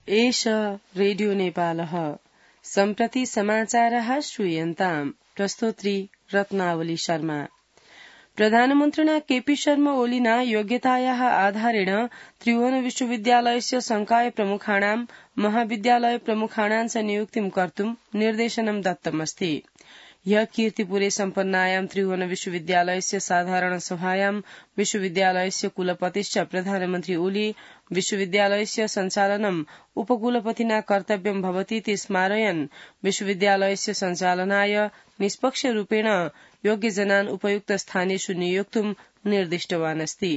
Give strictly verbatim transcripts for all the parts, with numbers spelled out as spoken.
एष रेडियो नेपालः सम्प्रति समाचारः श्रूयन्ताम् प्रस्तोत्री रत्नावली शर्मा। प्रधानमन्त्रिणा केपी शर्मा ओलिना योग्यतायाः आधारेण त्रिभुवन विश्वविद्यालयस्य संकाय प्रमुखाणां महाविद्यालय प्रमुखाणां च नियुक्तिं कर्तुं निर्देशनं दत्तमस्ति। ह्यः कीर्तिपुरे सम्पन्नायां त्रिभुवन विश्वविद्यालयस्य साधारण सभायां विश्वविद्यालयस्य कुलपतिश्च प्रधानमन्त्री ओली विश्वविद्यालयस्य सञ्चालनम् उपकुलपतिना कर्तव्यं भवतीति स्मारयन् विश्वविद्यालयस्य सञ्चालनाय निष्पक्षरूपेण योग्यजनान् उपयुक्त स्थानेषु नियोक्तुं निर्दिष्टवान् अस्ति।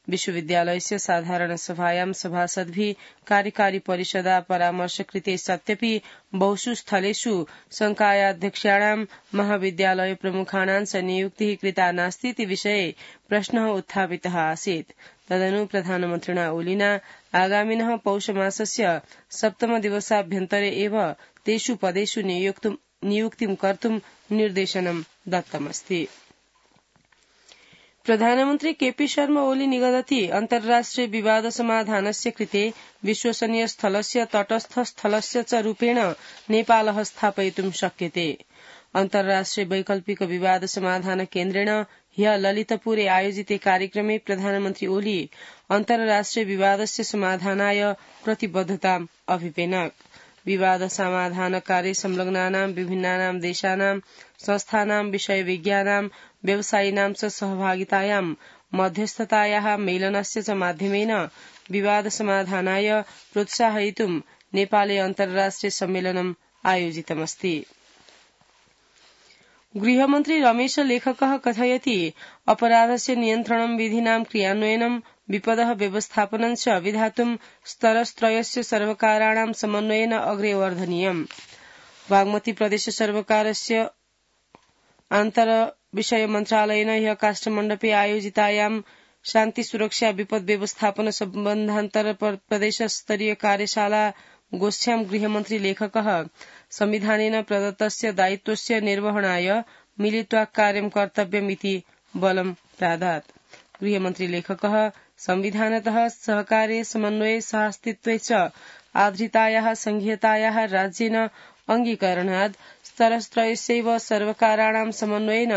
विश्वविद्यालयस्य साधारण सभायां सभासद्भिः कार्यकारी परिषदा परामर्शकृते सत्यपि बहुषु स्थलेषु संकायाध्यक्षाणां महाविद्यालय प्रमुखाणां च नियुक्तिः कृता नास्तीति विषये प्रश्नः उत्थापितः आसीत्। तदनु प्रधानमन्त्रिणा ओलिना आगामिनः पौषमासस्य सप्तम दिवसाभ्यन्तरे एव तेषु पदेषु नियुक्तिं कर्तुं निर्देशनं दत्तमस्ति। प्रधानमन्त्री केपी शर्मा ओली निगदति अन्ताराष्ट्रिय विवाद समाधानस्य कृते विश्वसनीय स्थलस्य तटस्थ स्थलस्य च रूपेण नेपालः स्थापयितुं शक्यते। अन्ताराष्ट्रिय वैकल्पिक विवाद समाधान केन्द्रेण ह्यः ललितपुरे आयोजिते कार्यक्रमे प्रधानमन्त्री ओली अन्ताराष्ट्रिय विवादस्य समाधानाय प्रतिबद्धताम् अभिपेनक। विवाद समाधान कार्ये संलग्नानां विभिन्नानां देशानां संस्थानां विषय विज्ञानां व्यवसायिनां च सहभागितायां मध्यस्थतायाः मेलनस्य च माध्यमेन विवाद समाधानाय प्रोत्साहयितुं नेपाले अन्ताराष्ट्रिय सम्मेलनम् आयोजितमस्ति। गृहमन्त्री रमेश लेखकः कथयति अपराधस्य नियन्त्रणं विधीनां क्रियान्वयनं विपदः व्यवस्थापनं च विधातुं स्तरत्रयस्य सर्वकाराणां समन्वयेन अग्रे वर्धनीयम्। बागमती प्रदेश सर्वकारस्य आन्तर विषय मन्त्रालयेन ह्यः काष्ठमण्डपे आयोजितायां शान्ति सुरक्षा विपद व्यवस्थापन सम्बन्धान्तर प्रदेश स्तरीय कार्यशाला गोष्ठ्यां गृहमन्त्री लेखकः संविधानेन प्रदत्तस्य दायित्वस्य निर्वहणाय मिलित्वा कार्यं कर्तव्यमिति बलं प्रादात्। गृहमन्त्री लेखकः संविधानतः सहकारे समन्वये साहस्तित्वे च आधृतायाः संघीयतायाः राज्येन अङ्गीकरणात् स्तरत्रयस्यैव सर्वकाराणां समन्वयेन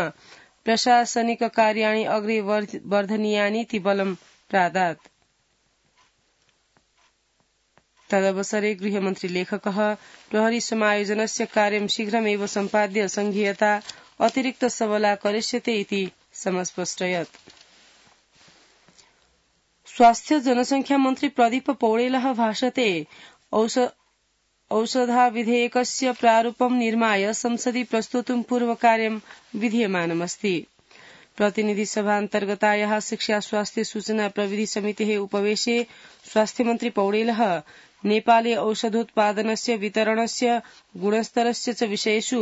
प्रशासनिक कार्याणि अग्रे वर्धनीयानीति बलं प्रादात्। तदवसरे गृहमन्त्री लेखकः प्रहरी समायोजनस्य कार्यं शीघ्रमेव सम्पाद्य संघीयता अतिरिक्त सबला करिष्यते इति समस्पष्टयत्। स्वास्थ्य जनसंख्या मन्त्री प्रदीप पौडेलः भाषते औषधाविधेयकस्य प्रारूपं निर्माय संसदि प्रस्तोतुं पूर्वकार्यं विधीयमानमस्ति। प्रतिनिधि सभान्तर्गतायाः शिक्षा स्वास्थ्य सूचना प्रविधि समितेः उपवेशे स्वास्थ्यमन्त्री पौडेलः नेपाले औषधोत्पादनस्य वितरणस्य गुणस्तरस्य च विषयेषु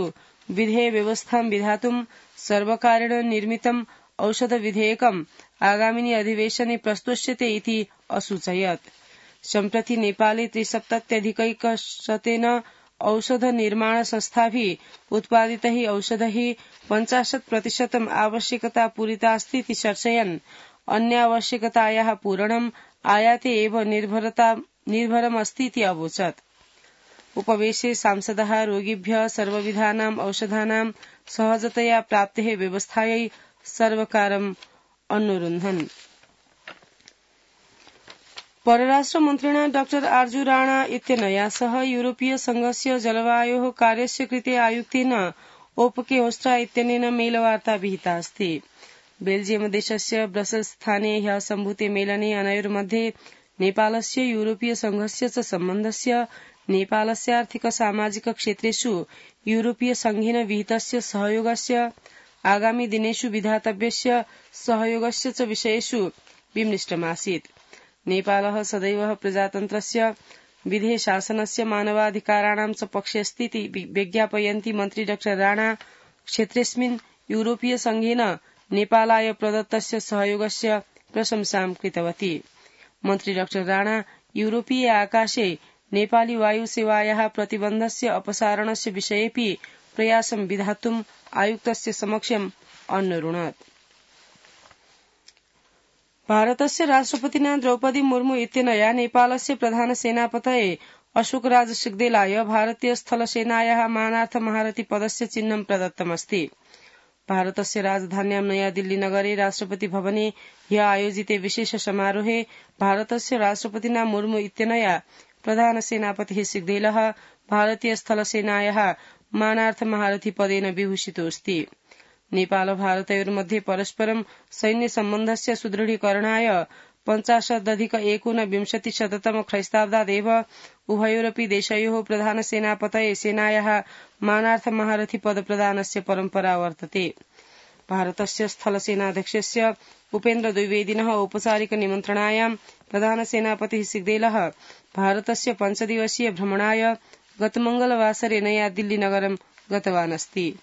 विधेय व्यवस्थां विधातुं सर्वकारेण निर्मितं औषध विधेयकम् आगामिनि अधिवेशने प्रस्तोष्यते इति असूचयत्। सम्प्रति नेपाले त्रिसप्तत्यधिकैकशतेन औषध निर्माण संस्थाभिः उत्पादितैः औषधैः पञ्चाशत् प्रतिशतम् आवश्यकता पूरितास्ति इति चर्चयन् अन्यावश्यकतायाः पूरणम् आयाते एव निर्भरता निर्भरमस्ति इति अवोचत्। उपवेशे सांसदः रोगिभ्यः सर्वविधानाम् औषधानां सहजतया प्राप्तेः व्यवस्थायै सर्वकारम् अनुरुन्धन्। परराष्ट्र मन्त्रिणा डॉक्टर आर्जु राणा इत्यनया सह यूरोपीय संघस्य जलवायोः कार्यस्य कृते आयुक्तेन ओपके होस्ट्रा इत्यनेन मेलवार्ता विहिता अस्ति। बेल्जियम देशस्य ब्रसेल्स स्थाने ह्यः सम्भूते मेलने अनयोर्मध्ये नेपालस्य यूरोपीय संघस्य च सम्बन्धस्य नेपालस्य आर्थिक सामाजिक क्षेत्रेषु यूरोपीय संघेन विहितस्य सहयोगस्य आगामी दिनेषु विधातव्यस्य सहयोगस्य च विषयेषु विमृष्टमासीत्। नेपालः सदैव प्रजातन्त्रस्य विधेय शासनस्य मानवाधिकाराणां च पक्षे अस्ति इति विज्ञापयन्ती मन्त्री डॉक्टर राणा क्षेत्रेऽस्मिन् यूरोपीय संघेन नेपालाय प्रदत्तस्य सहयोगस्य प्रशंसां कृतवती। मन्त्री डॉक्टर राणा यूरोपीय आकाशे नेपाली वायुसेवायाः प्रतिबन्धस्य अपसारणस्य विषयेऽपि प्रयासं विधातुम् आयुक्तस्य समक्षम् अनुरुणत्। भारतस्य राष्ट्रपतिना द्रौपदी मुर्मू इत्यनया नेपालस्य प्रधान सेनापतये अशोकराज सिग्देलाय भारतीय स्थलसेनायाः मानार्थ महारथी पदस्य चिह्नं प्रदत्तमस्ति। भारतस्य राजधान्यां नयादिल्ली नगरे राष्ट्रपति भवने ह्यः आयोजिते विशेष समारोहे भारतस्य राष्ट्रपतिना मुर्मु इत्यनया प्रधान सेनापतिः सिग्देलः भारतीय स्थलसेनायाः मानार्थ महारथी पदेन विभूषितोऽस्ति। नेपाल भारतयोर्मध्ये परस्परं सैन्य सम्बन्धस्य सुदृढीकरणाय पञ्चाशदधिक एकोनविंशति शततम ख्रीष्टाब्दादेव उभयोरपि देशयोः प्रधान सेनापतये सेनायाः मानार्थ महारथी पद प्रदानस्य परम्परा वर्तते। भारतस्य स्थलसेनाध्यक्षस्य उपेन्द्र द्विवेदिनः औपचारिक निमन्त्रणायां प्रधान सेनापतिः सिग्देलः भारतस्य पञ्चदिवसीय भ्रमणाय गतमङ्गलवासरे नयादिल्ली नगरं गतवान् अस्ति।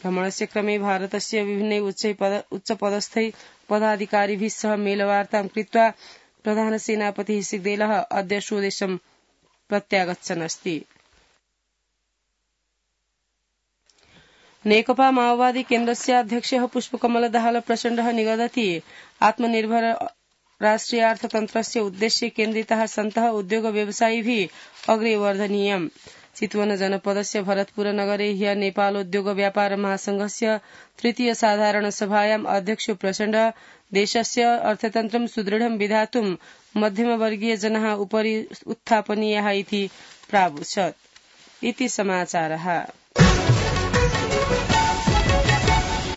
भ्रमणस्य क्रमे भारतस्य विभिन्नै उच्चपदस्थै पदाधिकारिभिः सह मेलवार्तां कृत्वा प्रधान सेनापतिः सिग्देलः अद्य स्वदेशं प्रत्यागच्छन् अस्ति। नेकपा माओवादी केन्द्रस्य अध्यक्षः पुष्पकमल दाहाल प्रचण्डः निगदति आत्मनिर्भर राष्ट्रियार्थतन्त्रस्य उद्देश्ये केन्द्रिताः सन्तः उद्योग व्यवसायिभिः अग्रे वर्धनीयम्। चितवन जनपदस्य भरतपुर नगरे ह्यः नेपालोद्योग व्यापार महासंघस्य तृतीय साधारण सभायाम् अध्यक्ष प्रचण्ड देशस्य अर्थतन्त्रं सुदृढं विधातुं मध्यमवर्गीय जनाः उपरि उत्थापनीयाः इति प्रावोचत्। इति समाचारः।